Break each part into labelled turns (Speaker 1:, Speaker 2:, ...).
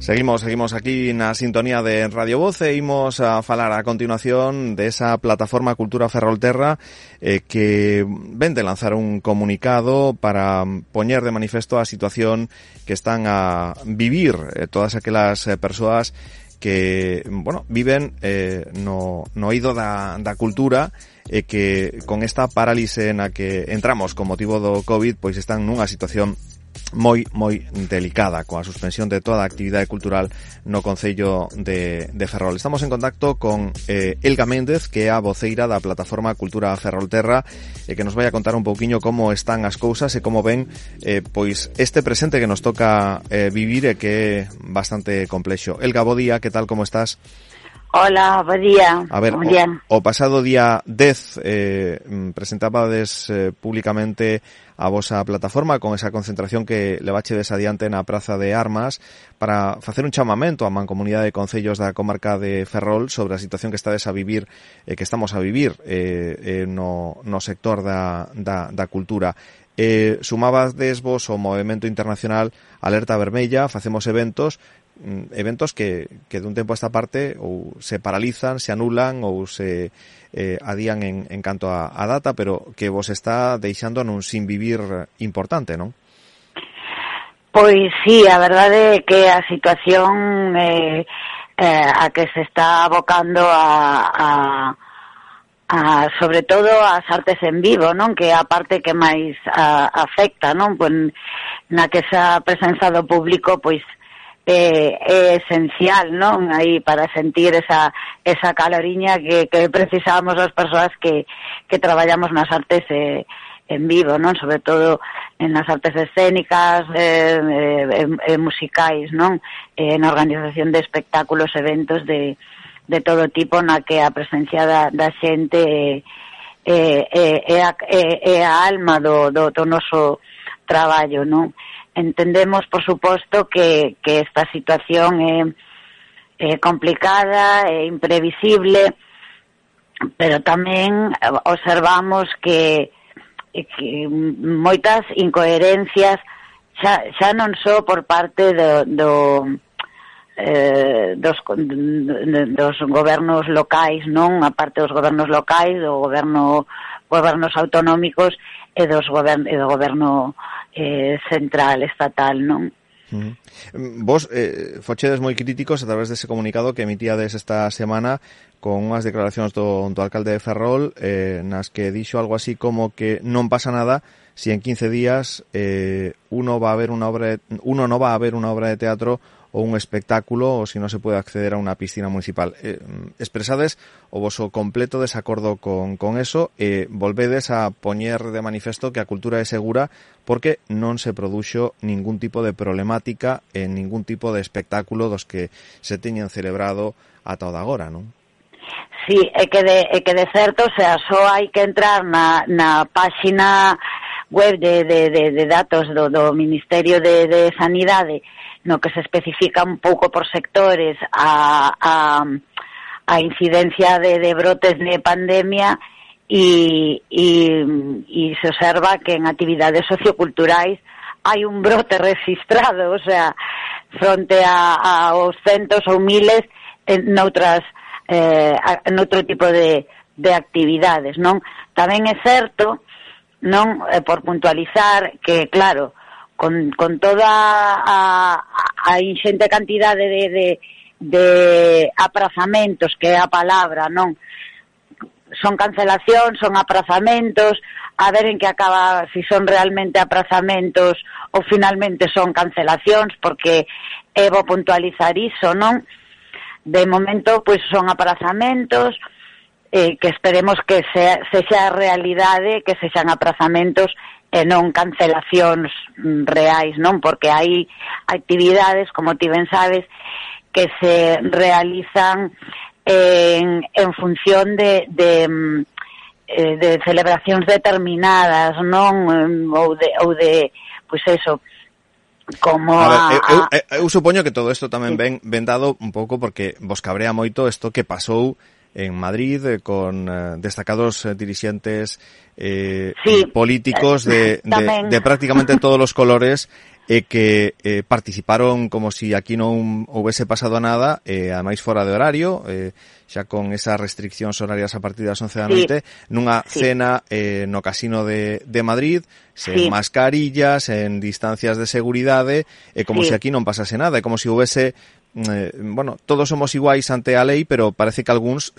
Speaker 1: Seguimos aquí na sintonía de Radio Voz e imos a falar a continuación de esa plataforma Cultura Ferrolterra que ven de lanzar un comunicado para poñer de manifesto a situación que están a vivir todas aquelas persoas que, bueno, viven no eido da cultura e que con esta parálise na que entramos con motivo do COVID, pois están nunha situación moi delicada coa suspensión de toda a actividade cultural no Concello de Ferrol. Estamos en contacto con Elga Méndez, que é a voceira da plataforma Cultura Ferrolterra, e que nos vai a contar un pouquiño como están as cousas e como ven pois este presente que nos toca vivir e que é bastante complexo. Elga, bo día, que tal, como estás?
Speaker 2: Hola, bo día.
Speaker 1: A ver, o pasado día 10 presentabades públicamente a vosa plataforma con esa concentración que levachedes adiante na Praza de Armas para facer un chamamento á mancomunidade de concellos da comarca de Ferrol sobre a situación que estades a vivir que estamos a vivir no sector da cultura. Sumabades vos o movimento internacional Alerta Vermella, facemos eventos que dun tempo a esta parte ou se paralizan, se anulan ou se adían en canto a data, pero que vos está deixando nun sin vivir importante, non?
Speaker 2: Pois sí, a verdade é que a situación a que se está abocando a sobre todo as artes en vivo, non? Que é a parte que máis afecta, non? Pois na que esa presenza do público, pois é esencial, non? Aí para sentir esa caloriña que precisamos as persoas que traballamos nas artes en vivo, non? Sobre todo en nas artes escénicas, musicais, non? Na organización de espectáculos, eventos de todo tipo, na que a presencia da xente é a alma do noso traballo, non? Entendemos, por suposto, que esta situación é complicada, é imprevisible, pero tamén observamos que moitas incoherencias xa non só por parte dos gobernos locais, non? A parte dos gobernos locais, gobernos autonómicos e do goberno central, estatal, non?
Speaker 1: Vos fochedes moi críticos a través dese comunicado que emitíades esta semana con unhas declaracións do alcalde de Ferrol nas que dixo algo así como que non pasa nada si en 15 días uno no va a ver una obra de teatro o un espectáculo ou si non se pode acceder a unha piscina municipal. Expresades o voso completo desacordo con eso e volvedes a poñer de manifesto que a cultura é segura porque non se produxo ningún tipo de problemática en ningún tipo de espectáculo dos que se teñen celebrado ata o de agora, non?
Speaker 2: Sí, é que de certo, o sea, só hai que entrar na páxina web de datos do Ministerio de Sanidade, no que se especifica un pouco por sectores a incidencia de brotes de pandemia e se observa que en actividades socioculturais hai un brote registrado, o sea, fronte aos centos ou miles noutro tipo de actividades, non? Tamén é certo, non, por puntualizar que, claro, con toda a inxente cantidade de aprazamentos, que é a palabra, non? Son cancelacións, son aprazamentos, a ver en que acaba, si son realmente aprazamentos ou finalmente son cancelacións, porque é bo puntualizar iso, non? De momento, pois son aprazamentos, que esperemos que sexa a realidade, que sexan aprazamentos e non cancelacións reais, non? Porque hai actividades, como ti ben sabes, que se realizan en función de celebracións determinadas, non? Ou de pois eso, como
Speaker 1: eu supoño que todo isto tamén ven dado un pouco porque vos cabrea moito isto que pasou en Madrid con destacados dirixentes políticos de prácticamente todos os colores que participaron como si aquí non houvese pasado nada, ademais fora de horario, xa con esas restriccións horarias a partir das 11 da noite, nunha cena no Casino de Madrid, sen mascarillas, en distancias de seguridade, como si aquí non pasase nada, como si houvese bueno, todos somos iguais ante a lei, pero parece que algúns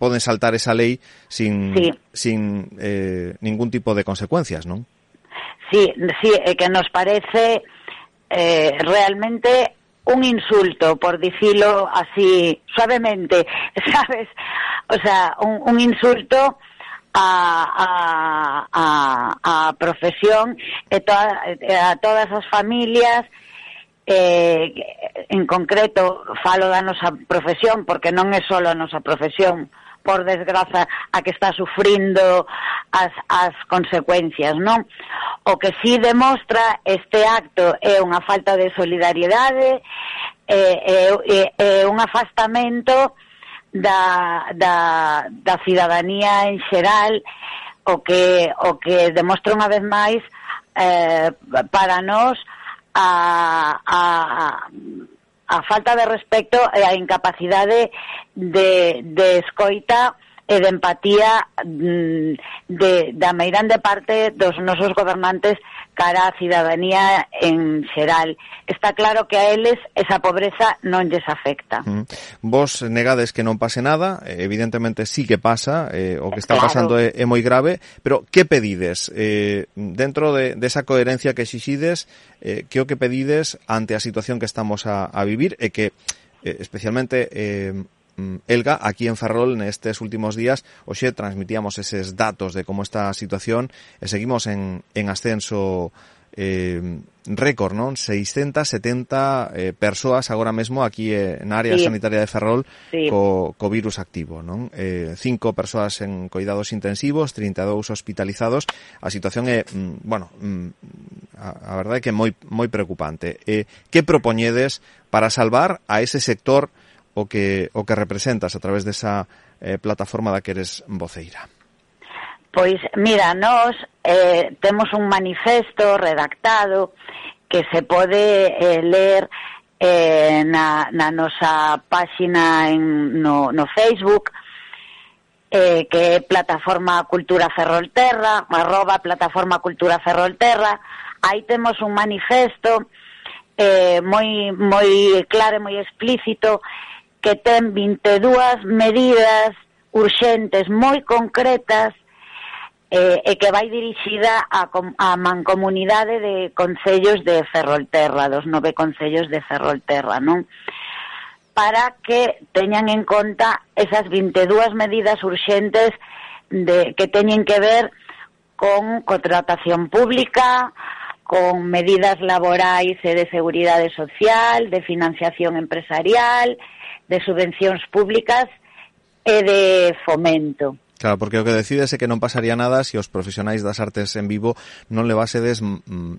Speaker 1: poden saltar esa lei sin ningún tipo de consecuencias, non?
Speaker 2: Sí, que nos parece realmente un insulto, por decirlo así suavemente, ¿sabes? O sea, un insulto a profesión a todas as familias, en concreto falo da nosa profesión, porque non é só a nosa profesión, por desgraza, a que está sufrindo as consecuencias, non? O que sí demostra este acto é unha falta de solidariedade, un afastamento da cidadanía en xeral, o que demostra unha vez máis para nós a falta de respecto e a incapacidade de escoita e de empatía da meirande parte dos nosos gobernantes cara á cidadanía en xeral. Está claro que a eles esa pobreza non lles afecta.
Speaker 1: Vos negades que non pase nada, evidentemente sí que pasa, o que está pasando é moi grave, pero que pedides? Dentro de esa coherencia que exixides, que o que pedides ante a situación que estamos a vivir e que especialmente Elga, aquí en Ferrol nestes últimos días, hoxe transmitíamos eses datos de como está a situación e seguimos en ascenso récord, non? 670 persoas agora mesmo aquí na área sanitaria de Ferrol co virus activo, non? 5 persoas en coidados intensivos, 32 hospitalizados. A situación é, bueno, a verdade é que é moi preocupante. Que propoñedes para salvar a ese sector o que representas a través desa plataforma da que eres voceira?
Speaker 2: Pois, mira, nós temos un manifesto redactado que se pode ler na nosa páxina no Facebook, que é Plataforma Cultura Ferrolterra, @Plataforma Cultura Ferrolterra. Aí temos un manifesto moi claro e moi explícito, que ten 22 medidas urxentes moi concretas e que vai dirixida á mancomunidade de concellos de Ferrolterra, dos 9 concellos de Ferrolterra, non? Para que teñan en conta esas 22 medidas urxentes que teñen que ver con contratación pública, con medidas laborais e de seguridade social, de financiación empresarial, de subvencións públicas e de fomento.
Speaker 1: Claro, porque o que decides é que non pasaría nada se os profesionais das artes en vivo non levásedes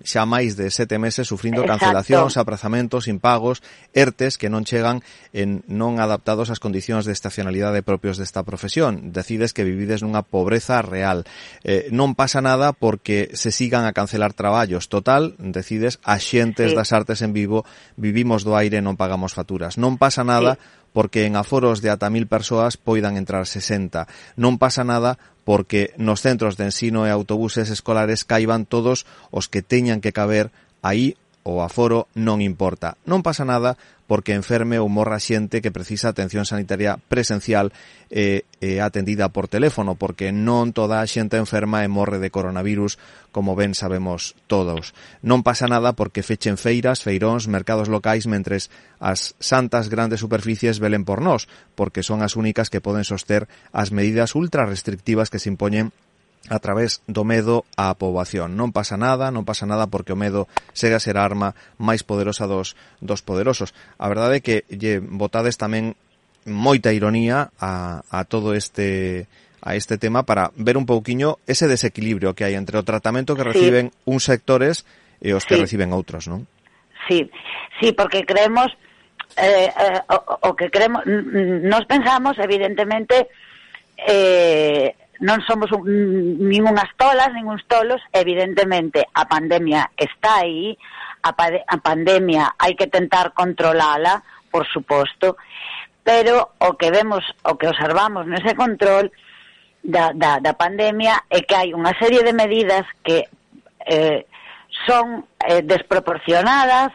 Speaker 1: xa máis de 7 meses sufrindo cancelacións, aprazamentos, impagos, ERTES que non chegan non adaptados ás condicións de estacionalidade propios desta profesión. Decides que vivides nunha pobreza real. Non pasa nada porque se sigan a cancelar traballos. Total, decides, axentes das artes en vivo, vivimos do aire e non pagamos facturas. Non pasa nada porque en aforos de ata 1000 persoas poidan entrar 60. Non pasa nada porque nos centros de ensino e autobuses escolares caiban todos os que teñan que caber aí, o aforo non importa. Non pasa nada porque enferme ou morra xente que precisa atención sanitaria presencial e atendida por teléfono, porque non toda a xente enferma e morre de coronavirus, como ben sabemos todos. Non pasa nada porque fechen feiras, feiróns, mercados locais, mentres as santas grandes superficies velen por nós, porque son as únicas que poden soster as medidas ultra restrictivas que se impoñen a través do medo á poboación. Non pasa nada porque o medo segue a ser a arma máis poderosa dos poderosos. A verdade é que lle botades tamén moita ironía a todo este tema para ver un pouquiño ese desequilibrio que hai entre o tratamento que reciben uns sectores e os que reciben outros, non? Sí,
Speaker 2: porque creemos nos pensamos, evidentemente, non somos nin unhas tolas, nin uns tolos, evidentemente a pandemia está aí, a pandemia hai que tentar controlala, por suposto, pero o que observamos nese control da pandemia é que hai unha serie de medidas que son desproporcionadas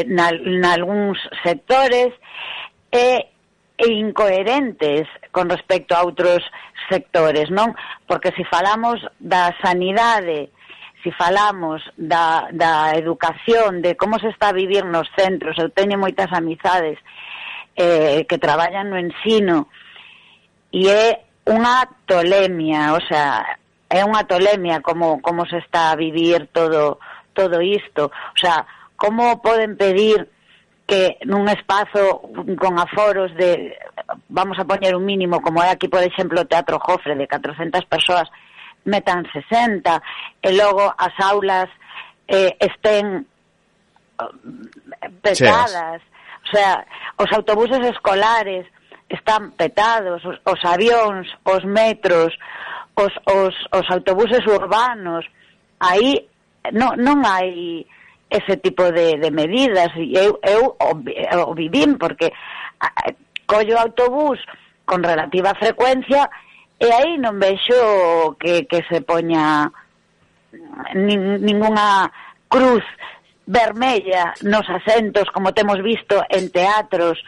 Speaker 2: nalgúns sectores e incoherentes con respecto a outros sectores, non? Porque se falamos da sanidade, se falamos da educación, de como se está a vivir nos centros, eu teño moitas amizades que traballan no ensino, e é unha tolemia, o sea, é unha tolemia como se está a vivir todo isto. O sea, como poden pedir que nun espazo con aforos de, vamos a poñer un mínimo, como é aquí, por exemplo, o Teatro Jofre, de 400 persoas, metan 60, e logo as aulas estén petadas. O sea, os autobuses escolares están petados, os avións, os metros, os autobuses urbanos. Aí non hai ese tipo de medidas, e eu o vivín, porque collo autobús con relativa frecuencia e aí non vexo que se poña ningunha cruz vermella nos asentos, como temos visto en teatros,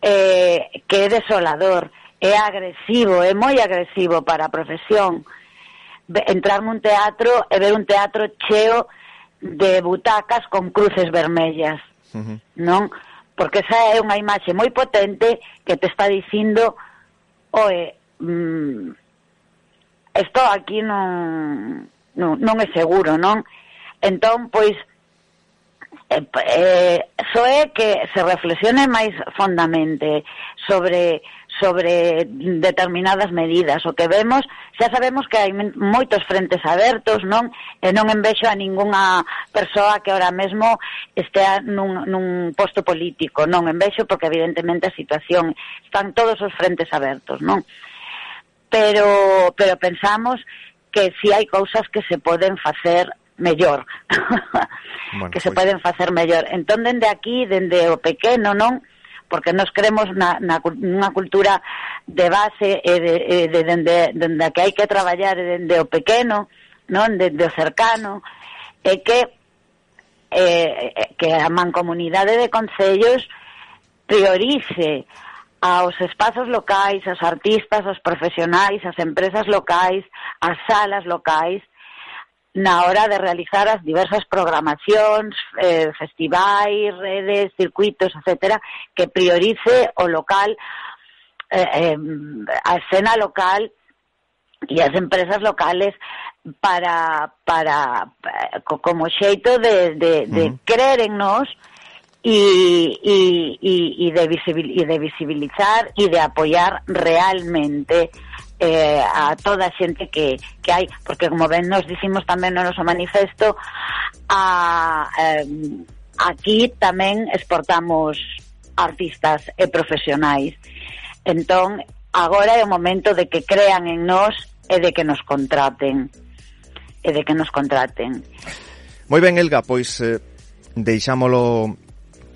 Speaker 2: que é desolador, é agresivo, é moi agresivo para a profesión entrar nun teatro e ver un teatro cheo de butacas con cruces vermellas, non? Porque esa é unha imaxe moi potente que te está dicindo, oe, isto aquí non é seguro, non? Entón, pois, só é que se reflexione máis fondamente sobre determinadas medidas. O que vemos, xa sabemos que hai moitos frentes abertos, non? E non envexo a ningunha persoa que ahora mesmo estea nun posto político, non envexo, porque evidentemente a situación, están todos os frentes abertos, non? Pero pensamos que si hai cousas que se poden facer mellor, bueno, que se poden facer mellor. Entón, dende aquí, dende o pequeno, non? Porque nos creemos nunha cultura de base dende a que hai que traballar dende o pequeno, non? Dende o cercano, e que a mancomunidade de concellos priorice aos espazos locais, aos artistas, aos profesionais, as empresas locais, as salas locais, na hora de realizar as diversas programacións, festivais, redes, circuitos, etcétera, que priorice o local, a escena local e as empresas locales para como xeito de creer en nós e de visibilizar e de apoiar realmente a toda a xente que hai, porque como ben nos dicimos tamén no noso manifesto, aquí tamén exportamos artistas e profesionais. Entón, agora é o momento de que crean en nós e de que nos contraten.
Speaker 1: Moi ben, Elga, pois deixámolo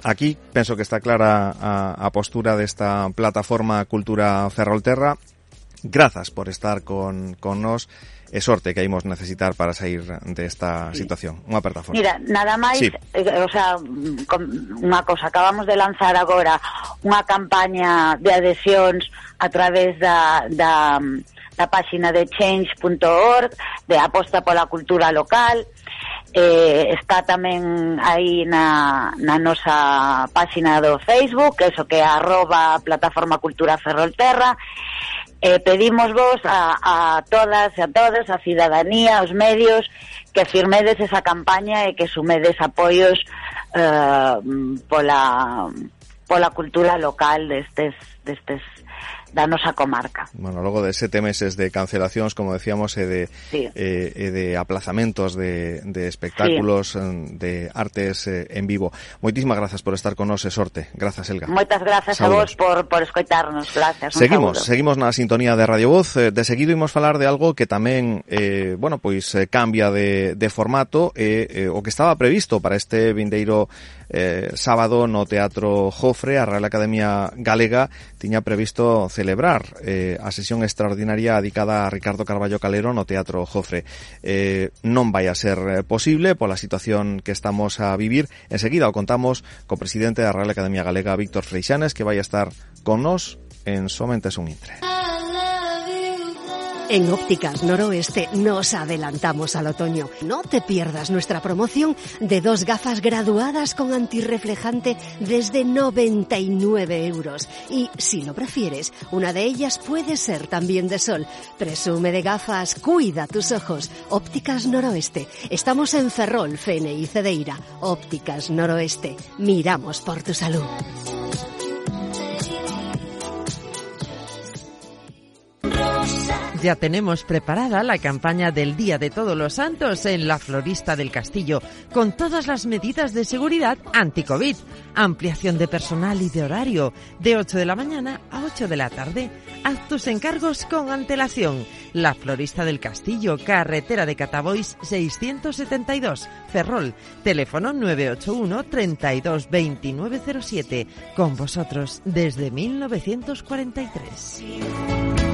Speaker 1: aquí. Penso que está clara a postura desta plataforma Cultura Ferrolterra. Grazas por estar con nós, e sorte que imos necesitar para sair desta situación. Unha aperta forte. Mira,
Speaker 2: nada máis, sí. O sea, unha cosa, acabamos de lanzar agora unha campaña de adhesións a través da páxina de change.org, de aposta pola cultura local. Está tamén aí na nosa páxina do Facebook, eso que é @plataforma Cultura Ferrolterra. Pedimos vos a todas e a todos, a cidadanía, aos medios, que firmedes esa campaña e que sumedes apoios pola cultura local destes da nosa comarca.
Speaker 1: Bueno, logo de 7 meses de cancelacións, como decíamos, e de aplazamentos de espectáculos, de artes en vivo. Moitísimas grazas por estar con nos e sorte. Grazas, Elga.
Speaker 2: Moitas grazas a vos por escoitarnos. Grazas.
Speaker 1: Seguimos na sintonía de Radio Voz. De seguido imos falar de algo que tamén, cambia de formato, o que estaba previsto para este vindeiro sábado no Teatro Jofre. A Real Academia Galega tiña previsto celebrar a sesión extraordinaria dedicada a Ricardo Carballo Calero no Teatro Jofre. Non vai a ser posible pola situación que estamos a vivir. Enseguida o contamos co presidente da Real Academia Galega, Víctor Freixanes, que vai a estar con nos en somente un intre.
Speaker 3: En Ópticas Noroeste nos adelantamos al otoño. No te pierdas nuestra promoción de 2 gafas graduadas con antirreflejante desde 99 €. Y si lo prefieres, una de ellas puede ser también de sol. Presume de gafas, cuida tus ojos. Ópticas Noroeste. Estamos en Ferrol, Fene y Cedeira. Ópticas Noroeste. Miramos por tu salud.
Speaker 4: Ya tenemos preparada la campaña del Día de Todos los Santos en la Florista del Castillo, con todas las medidas de seguridad anti-COVID. Ampliación de personal y de horario, de 8 de la mañana a 8 de la tarde. Haz tus encargos con antelación. La Florista del Castillo, carretera de Catabois 672, Ferrol. Teléfono 981 32 2907. Con vosotros desde 1943.